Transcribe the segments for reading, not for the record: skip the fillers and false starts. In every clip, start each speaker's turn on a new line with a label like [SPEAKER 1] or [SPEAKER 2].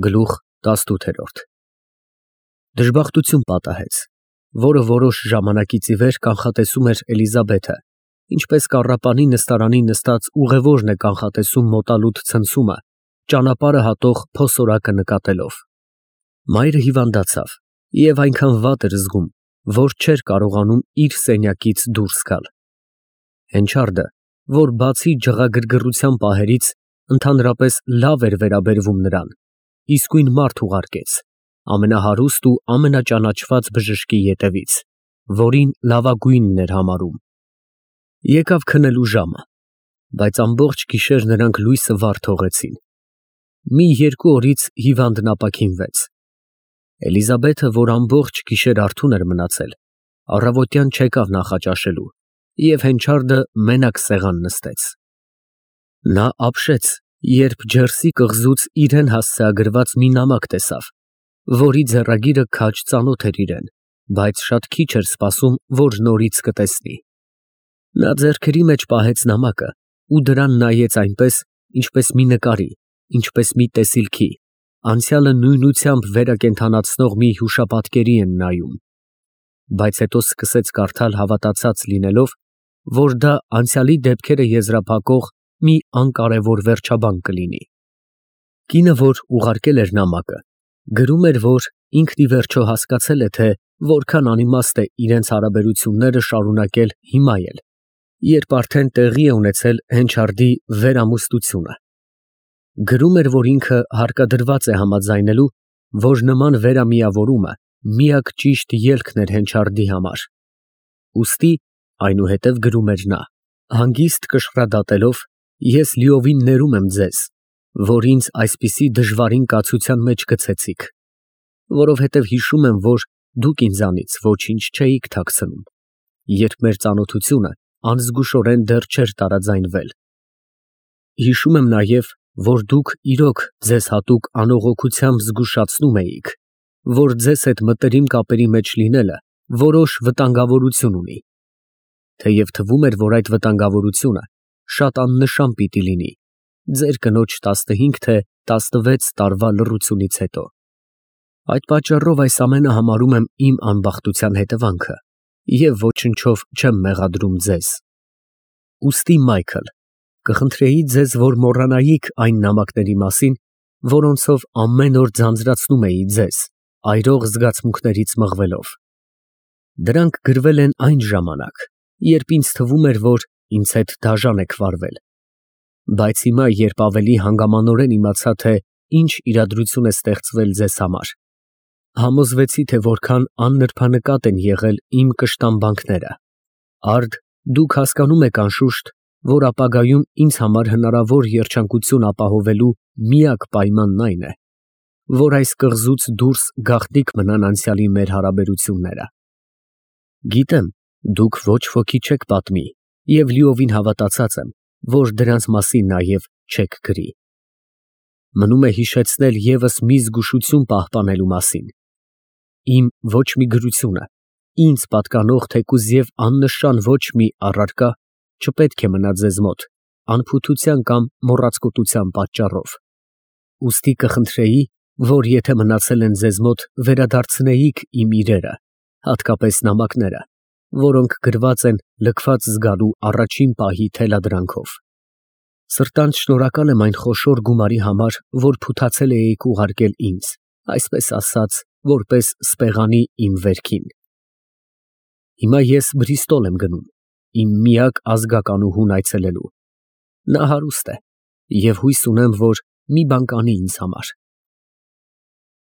[SPEAKER 1] Գլուխ 18 Դժբախտություն պատահեց, որը որոշ ժամանակից ի վեր կանխատեսում էր Էլիզաբեթը, ինչպես կառապանի նստարանի նստած ուղևորն է կանխատեսում մոտալուտ ցնցումը, ճանապարհը հատող փոսորակը նկատելով։ Մայրը հիվանդացավ և այնքան վատ էր զգում, որ չէր կարողանում իր սենյակից դուրս գալ։ Հենչարդը, որ բացի ջղագրգռության պահերից, ընդհանրապես լավ էր վերաբերվում նրան, իսկույն մարդ ուղարկեց ամենահարուստ ու ամենաճանաչված բժշկի ետևից, որին լավագույնն էր համարում։ Եկավ քնելու ժամը, բայց ամբողջ գիշեր նրանք լույսը վառ թողեցին։ Մի 2 օրից հիվանդն ապաքինվեց։ Էլիզաբեթը, որ ամբողջ գիշեր արթուն էր մնացել, առավոտյան չեկավ նախաճաշելու և Հենչարդը մենակ սեղան նստեց։ Նա ապշեց, երբ ջերսի կղզուց իրեն հասցեագրված մի նամակ տեսավ, որի ձեռագիրը քաջ ծանոթ էր իրեն, բայց շատ քիչ էր սպասում, որ նորից կտեսնի։ Նա ձեռքերի մեջ պահեց նամակը ու դրան նայեց այնպես, ինչպես մի նկարի, ինչպես մի տեսիլքի, անցյալը նույնությամբ վերակենդանացնող մի հուշապատկերի են նայում, բայց հետո սկսեց կարդալ հավատացած լինելով, որ դա անցյալի դեպքերը եզրափակող մի անկարևոր վերջաբան կլինի։ Կինը, որ ուղարկել էր նամակը, գրում էր, որ ինքն ի վերջո հասկացել է, թե որքան անիմաստ է իրենց հարաբերությունները շարունակել հիմա էլ, երբ արդեն տեղի է ունեցել Հենչարդի վերամուստությունը։ Գրում էր, որ ինքը հարկադրված է համաձայնելու, որ նման վերամիավորումը միակ ճիշտ ելքն էր Հենչարդի համար։ Ուստի, այնուհետև գրում էր նա, հանգիստ կշռադատելով, ես լիովին ներում եմ ձեզ, որ ինձ այսպիսի դժվարին կացության մեջ գցեցիք, որովհետև հիշում եմ, որ դուք ինձանից ոչինչ չէիք թաքցնում, երբ մեր ծանոթությունը անզգուշորեն դեռ չէր տարաձայնվել։ Հիշում եմ նաև, որ դուք իրոք ձեզ հատուկ անողոքությամբ զգուշացնում էիք, որ ձեզ հետ մտերիմ կապերի մեջ լինելը որոշ վտանգավորություն ունի, թեև թվում էր, որ այդ վտանգավորությունը շատ աննշան պիտի լինի, ձեր կնոջ 15 թե 16 տարվա լռությունից հետո։ Այդ պատճառով այս ամենը համարում եմ իմ անբախտության հետևանքը և ոչնչով չեմ մեղադրում ձեզ։ Ուստի, Մայքլ, կխնդրեի ձեզ, որ մոռանայիք այն նամակների մասին, որոնցով ամեն օր ձանձրացնում էի ձեզ, այրող զգացմունքներից մղվելով։ Դրանք գրվել են այն ժամանակ, երբ ինձ թվում էր, որ ինձ հետ դաժան եք վարվել, բայց հիմա, երբ ավելի հանգամանորեն իմացա, թե ինչ իրադրություն է ստեղծվել ձեզ համար, համոզվեցի, թե որքան աննրբանկատ են եղել իմ կշտամբանքները։ Արդ, դուք հասկանում եք անշուշտ, որ ապագայում ինձ համար հնարավոր երջանկություն ապահովելու միակ պայմանն այն է, որ այս կղզուց դուրս գաղտնիք մնան անցյալի մեր հարաբերությունները։ Գիտեմ, դուք ոչ ոքի չեք պատմի և լիովին հավատացած եմ, որ դրանց մասին նաև չեք գրի։ Մնում է հիշեցնել ևս մի զգուշություն պահպանելու մասին։ Իմ ոչ մի գրությունը, ինձ պատկանող թեկուզ և աննշան ոչ մի առարկա չպետք է մնա ձեզ մոտ անփութության կամ մոռացկոտության պատճառով։ Ուստի կխնդրեի, որ եթե մնացել են ձեզ մոտ, վերադարձնեիք իմ իրերը, հատկապես նամակները, որոնք գրված են լքված զգալու առաջին պահի թելադրանքով։ Սրտանց շնորհակալ եմ այն խոշոր գումարի համար, որ փութացել էիք ուղարկել ինձ, այսպես ասած, որպես սպեղանի իմ վերքին։ Հիմա ես Բրիստոլ եմ գնում, իմ միակ ազգականուհուն այցելելու։ Նա հարուստ է և հույս ունեմ, որ մի բան կանի ինձ համար։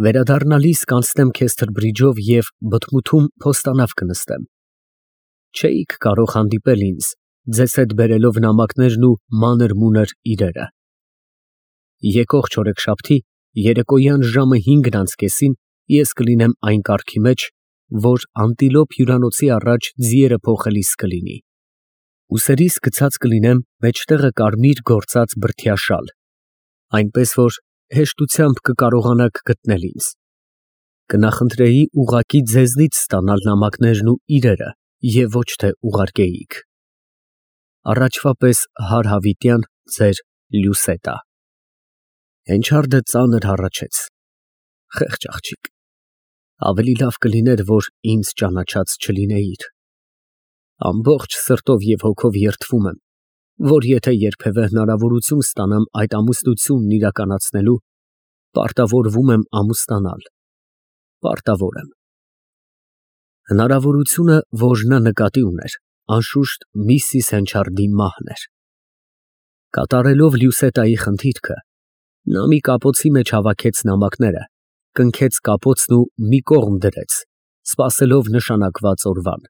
[SPEAKER 1] Վերադառնալիս կանցնեմ Քեսթր Բրիջով և բթմութում փոստանավ կնստեմ։ Չէիք կարող հանդիպել ինձ, ձեզ հետ բերելով նամակներն ու մանր֊մունր իրերը։ Եկող չորեքշաբթի երեկոյան ժամը 5:30 ես կլինեմ այն կարգի մեջ, որ Անտիլոպ հյուրանոցի առաջ ձիերը փոխելիս կլինի։ Ուսերիս գցած կլինեմ մեջտեղը կարմիր գործած բրդյա շալ, այնպես որ հեշտությամբ կկարողանաք գտնել ինձ։ Կնախընտրեի ուղղակի ձեզնից ստանալ նամակներն ու իրերը և ոչ թե ուղարկեիք։ Առաջվա պես հարհավիտյան ձեր Լյուսետա։ Հենչարդը ծանր հառաչեց. խեղճ աղջիկ, ավելի լավ կլիներ, որ ինձ ճանաչած չլինեիր։ Ամբողջ սրտով և հոգով երդվում եմ, որ եթե երբևէ հնարավորություն ստանամ այդ ամուսնությունն իրականացնելու, պարտավորվում եմ ամուսնանալ, պարտավոր եմ։ Հնարավորությունը, որ նա նկատի ուներ, անշուշտ Միսիս Հենչարդի մահն էր։ Կատարելով Լյուսետայի խնդիրքը, նա մի կապոցի մեջ հավաքեց նամակները, կնքեց կապոցն ու մի կողմ դրեց, սպասելով նշանակված օրվան։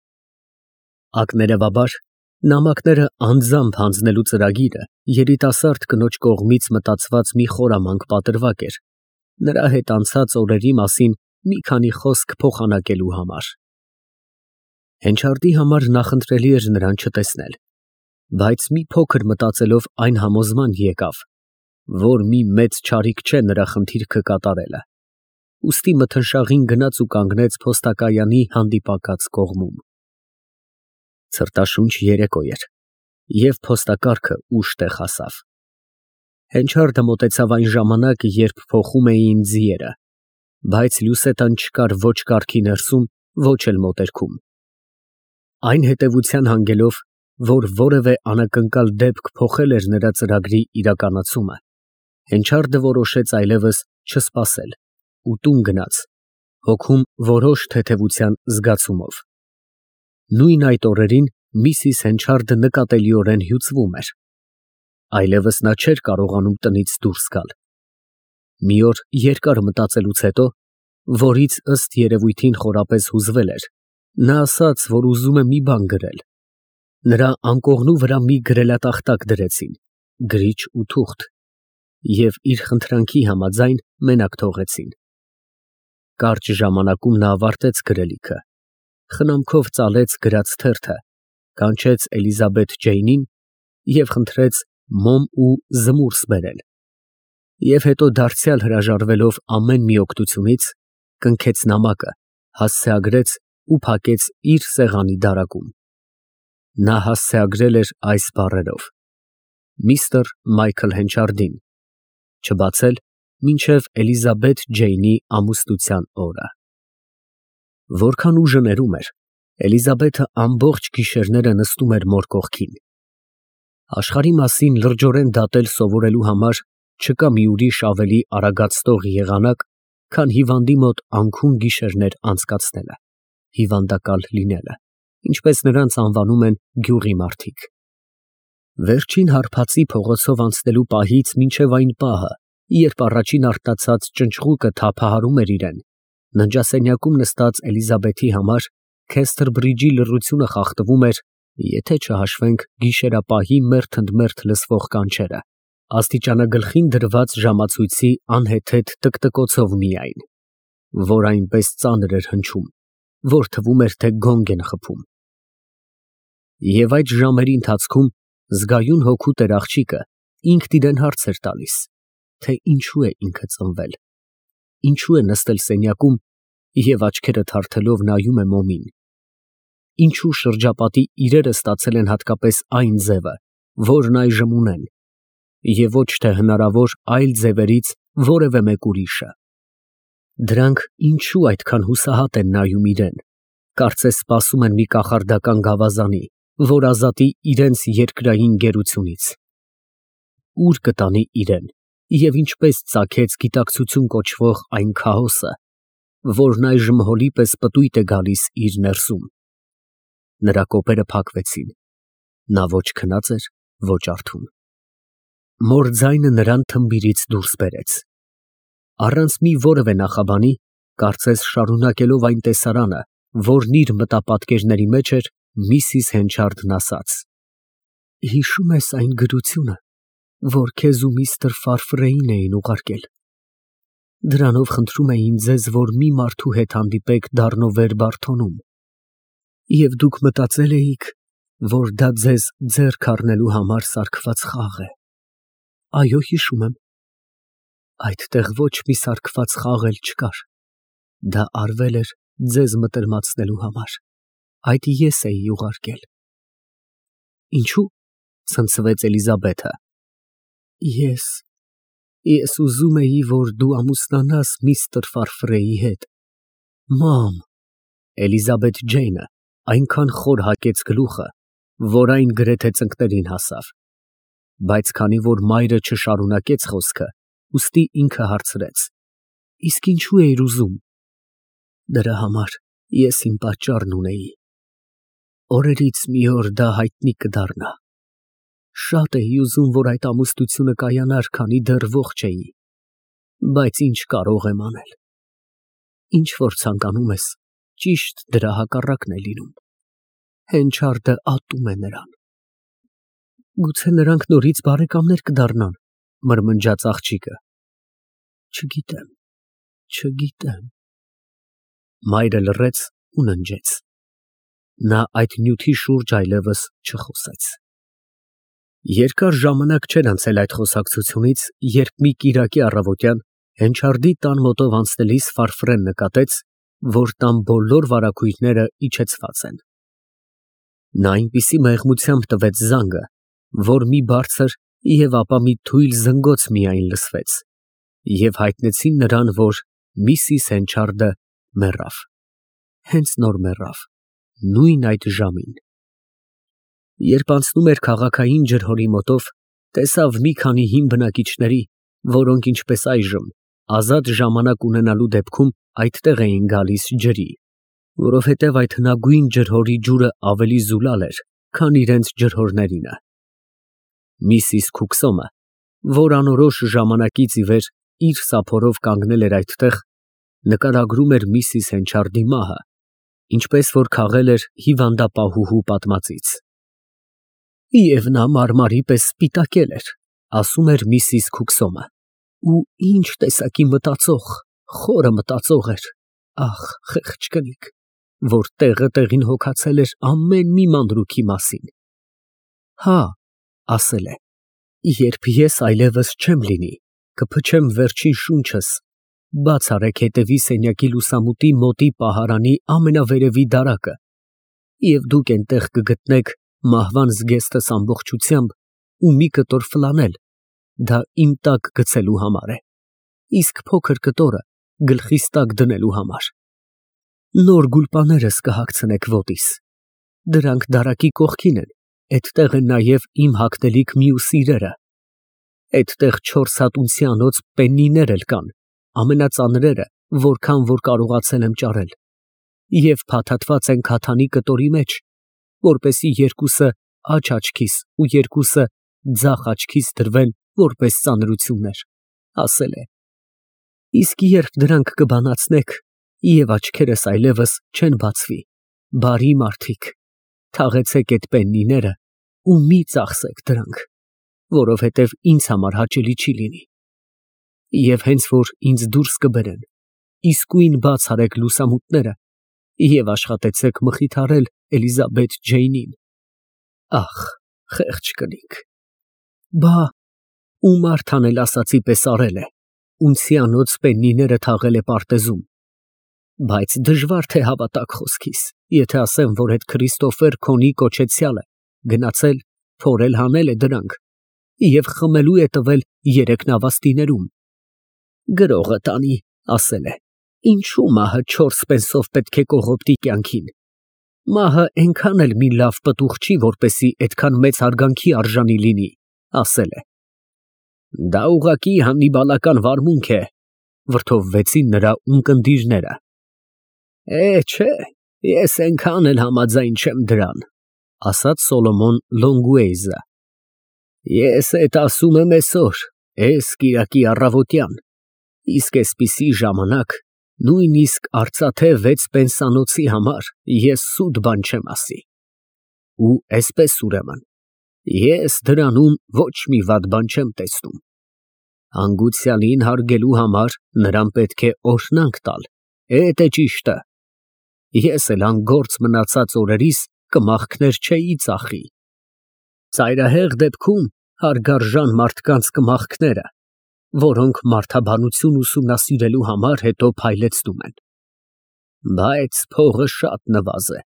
[SPEAKER 1] Ակներևաբար, նամակները անձամբ հանձնելու ծրագիրը երիտասարդ կնոջ կողմից մտածված մի խորամանկ պատրվակ էր, նրա հետ անցած օրերի մասին մի քանի խոսք փոխանակելու համար։ Հենչարդի համար նախընտրելի էր նրան չտեսնել, բայց մի փոքր մտածելով այն համոզման եկավ, որ մի մեծ չարիք չէ նրա խնդիրքը կատարելը, ուստի մթնշաղին գնաց ու կանգնեց փոստակայանի հանդիպակաց կողմում։ Ցրտաշունչ երեկո էր, և փոստակառքը ուշ տեղ հասավ։ Հենչարդը մոտեցավ այն ժամանակ, երբ փոխում էին ձիերը, բայց Լյուսետան չկար ոչ կառքի ներսում, ոչ էլ մոտերքում։ Այն հետևության հանգելով, որ որևէ անակնկալ դեպք փոխել էր նրա ծրագրի իրականացումը, Հենչարդը որոշեց այլևս չսպասել ու տուն գնաց, հոգում որոշ թեթևության զգացումով։ Նույն այդ օրերին Միսիս Հենչարդը նկատելիորեն հյուծվում էր։ Այլևս նա չէր կարողանում տնից դուրս գալ։ Մի օր երկար մտածելուց հետո, որից ըստ երևույթին խորապես հուզվել էր, նա ասաց, որ ուզում է մի բան գրել։ Նրա անկողնու վրա մի գրելատախտակ դրեցին, գրիչ ու թուղթ, և իր խնդրանքի համաձայն մենակ թողեցին։ Կարճ ժամանակում նա ավարտեց գրելիքը, խնամքով ծալեց գրած թերթը, կանչեց Էլիզաբեթ Ջեյնին և խնդրեց մոմ ու զմուրս բերել, և հետո դարձյալ հրաժարվելով ամեն մի օգնությունից, կնքեց նամակը, հասցեագրեց ու փակեց իր սեղանի դարակում։ Նա հասցեագրել էր այս բառերով. Միսթր Մայքլ Հենչարդին, չբացել մինչև Էլիզաբեթ Ջեյնի ամուսնության օրը։ Որքան ուժը ներում էր, Էլիզաբեթը ամբողջ գիշերները նստում էր մոր կողքին։ Աշխարհի մասին լրջորեն դատել սովորելու համար չկա մի ուրիշ ավելի արագացնող եղանակ, քան հիվանդի մոտ անքուն գիշերներ անցկացնելը, հիվանդակալ լինելը, ինչպես նրանց անվանում են գյուղի մարդիկ։ Վերջին հարբածի փողոցով անցնելու պահից մինչև այն պահը, երբ առաջին արթնացած ճնճղուկը թափահարում էր իրեն, ննջասենյակում նստած Էլիզաբեթի համար Քեսթերբրիջի լռությունը խախտվում էր, եթե չհաշվենք գիշերապահի մերթ ընդ մերթ լսվող կանչերը, աստիճանագլխին դրված ժամացույցի անհեթեթ տկտկոցով միայն, որ այնպես ծանր էր հնչում, որ թվում էր, թե գոնգ են խփում։ Եվ այդ ժամերի ընթացքում զգայուն հոգու տեր աղջիկը ինքն իրեն հարց էր տալիս, թե ինչու է ինքը ծնվել, ինչու է նստել սենյակում և աչքերը թարթելով նայում է մոմին, ինչու շրջապատի իրերը ստացել են հատկապես այն ձևը, որն այժմ ունեն, և ոչ թե հնարավոր այլ ձևերից որևէ մեկ ուրիշը։ Դրանք ինչու այդքան հուսահատ են նայում իրեն, կարծես սպասում են մի կախարդական գավազանի, որ ազատի իրենց երկրային գերությունից։ Ուր կտանի իրեն և ինչպես ծագեց գիտակցություն կոչվող այն քաոսը, որն այժմ հոլի պես պտույտ է գալիս իր ներսում։ Նրա կոպերը փակվեցին, նա ոչ քնած էր, ոչ արթուն։ Մոր ձայնը նրան թմբիրից դուրս բերեց։ Առանց մի որևէ նախաբանի, կարծես շարունակելով այն տեսարանը, որն իր մտապատկերների մեջ էր, Միսիս Հենչարդն ասաց. Հիշո՞ւմ ես այն գրությունը, որ քեզ ու միստր Ֆարֆրեին էին ուղարկել։ Դրանով խնդրում էին ձեզ, որ մի մարդու հետ հանդիպեք Դառնովեր Բարթոնում, և դուք մտածել էիք, որ դա ձեզ ձեռք առնելու համար սարքված խաղ է։ Այո, հիշում եմ։ Այդտեղ ոչ մի սարքված խաղ էլ չկար։ Դա արվել էր ձեզ մտերմացնելու համար։ Այդ ես էի ուղարկել։ Ինչու՞, ցնցվեց Էլիզաբեթը։ Ես Ես ուզում էի, որ դու ամուսնանաս միստր Ֆարֆրեի հետ։ Մամ։ Էլիզաբեթ Ջեյնը այնքան խոր հակեց գլուխը, որ այն գրեթե ծնկներին հասավ։ Բայց քանի որ մայրը չշարունակեց խոսքը, ուստի ինքը հարցրեց. Իսկ ինչու էիր ուզում։ Դրա համար ես իմ պատճառն ունեի։ Օրերից մի օր դա հայտնի կդառնա։ Շատ էի ուզում, որ այդ ամուսնությունը կայանար, քանի դեռ ողջ էի։ Բայց ինչ կարող եմ անել։ Ինչ որ ցանկանում ես, ճիշտ դրա հակառակն է լինում։ Հենչարդը ատում է նրան։ Գուցե նրանք նորից բարեկամներ կդառնան, մրմնջաց աղջիկը։ Չգիտեմ։ Մայրը լռեց ու ննջեց։ Նա այդ նյութի շուրջ այլևս չխոսեց։ Երկար ժամանակ չէր անցել այդ խոսակցությունից, երբ մի կիրակի առավոտյան Հենչարդի տան մոտով անցնելիս Ֆարֆրեն նկատեց, որ տան բոլոր վարագույրները իջեցված են։ Նա այնպիսի մեղմությամբ տվեց զանգը, որ մի բարձր և ապա մի թույլ զնգոց միայն լսվեց, և հայտնեցին նրան, որ Միսիս Հենչարդը մեռավ, հենց նոր մեռավ, նույն այդ ժամին։ Երբ անցնում էր քաղաքային ջրհորի մոտով, տեսավ մի քանի հին բնակիչների, որոնք ինչպես այժմ, ազատ ժամանակ ունենալու դեպքում այդտեղ էին գալիս ջրի, որովհետև այդ հնագույն ջրհորի ջուրը ավելի զուլալ էր, քան իրենց ջրհորներինը։ Միսիս Քուքսոմը, որ անորոշ ժամանակից ի վեր իր սափորով կանգնել էր այդտեղ, նկարագրում էր Միսիս Հենչարդի մահը, ինչպես որ քաղել էր հիվանդապահուհու պատմածից։ Եվ նա մարմարի պես սպիտակել էր, ասում էր Միսիս Քուքսոմը, ու ինչ տեսակի մտածող, խորը մտածող էր, ախ, խեղճ կնիկ, որ տեղը տեղին հոգացել էր ամեն մի մանրուքի մասին։ Հա, ասել է, երբ ես այլևս չեմ լինի, կփչեմ վերջին շունչս, բաց արեք հետևի սենյակի լուսամուտի մոտի պահարանի ամենավերևի դարակը, և դուք այնտեղ կգտնեք մահվան զգեստս ամբողջությամբ ու մի կտոր ֆլանել, դա իմ տակ գցելու համար է, իսկ փոքր կտորը գլխիս տակ դնելու համար։ Նոր գուլպաներս կհագցնեք ոտիս, դրանք դարակի կողքին են, էդտեղ են նաև իմ հագնելիք մյուս իրերը, էդտեղ 4 հատ ունցիանոց պեննիներ էլ կան, ամենածանրերը, որքան որ կարողացել եմ ճարել, և փաթաթված են քաթանի կտորի մեջ, որպեսզի երկուսը աջ աչքիս ու երկուսը ձախ աչքիս դրվեն որպես ծանրություններ, ասել է։ Իսկ երբ դրանք կբանացնեք, և աչքերս այլևս չեն բացվի, բարի մարդիկ, թաղեցեք այդ պեննիները ու մի ծախսեք դրանք, որովհետև ինձ համար հաճելի չի լինի։ Եվ հենց որ ինձ դուրս կբերեն, իսկույն բաց արեք լուսամուտները և աշխատեցեք մխիթարել Էլիզաբեթ Ջեյնին։ Ախ, խեղճ կնիկ։ Բա, ու Մարթան էլ ասածի պես արել է, ունցիանոց պեննիները թաղել է պարտեզում, բայց դժվար թե հավատաք խոսքիս, եթե ասեմ, որ այդ Քրիստոֆեր Քոնի կոչեցյալը գնացել, փորել հանել է դրանք և խմելու է տվել 3 նավաստիներում։ Գրողը տանի, ասել է, ինչու մահը 4 պենսով պետք է կողոպտի կյանքին։ Մահը այնքան էլ մի լավ պտուղ չի, որպեսի այդքան մեծ հարգանքի արժանի լինի, ասել է։ Դա ուղղակի հաննիբալական վարմունք է, վրդովվեցին նրա ունկնդիրները։ Չէ, ես այնքան էլ համաձայն չեմ դրան, ասաց Սոլոմոն Լոնգուեյզը։ Ես էդ ասում եմ այսօր, էս կիրակի առավոտյան, իսկ այսպիսի ժամանակ, նույնիսկ արծաթե 6 պենսանոցի համար ես սուտ բան չեմ ասի։ Ու այսպես ուրեմն, ես դրանում ոչ մի վատ բան չեմ տեսնում։ Հանգուցյալին հարգելու համար նրան պետք է օրհնանք տալ, էդ է ճիշտը։ Ես էլ անգործ մնացած օրերիս կմախքներ չէի ծախի։ Ծայրահեղ դեպքում հարգարժան մարդկանց կմախքները, որոնք մարդաբանություն ուսումնասիրելու համար հետո փայլեցնում են։ Բայց փողը շատ նվազ է,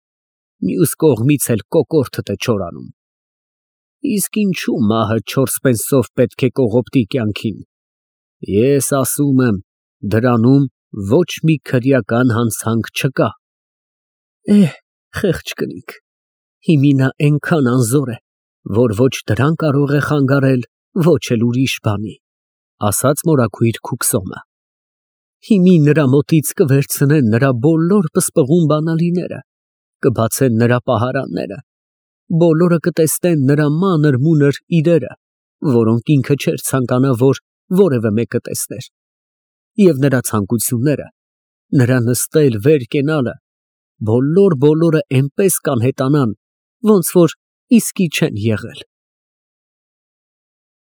[SPEAKER 1] մյուս կողմից էլ կոկորդդ է չորանում։ Իսկ ինչու մահը 4 պենսով պետք է կողոպտի կյանքին։ Ես ասում եմ, դրանում ոչ մի քրեական հանցանք չկա։ Խեղճ կնիկ, հիմի նա այնքան անզոր է, որ ոչ դրան կարող է խանգարել, ոչ էլ ուրիշ բանի, ասաց մորաքույր Քուքսոմը։ Հիմի նրա մոտից կվերցնեն նրա բոլոր պսպղուն բանալիները, կբացեն նրա պահարանները, բոլորը կտեսնեն նրա մանր-մունր իրերը, որոնք ինքը չէր ցանկանա, որ որևէ մեկը տեսներ, և նրա ցանկությունները, նրա նստել, վեր կենալը, բոլորը այնպես կանհետանան, ոնց որ իսկի չեն եղել։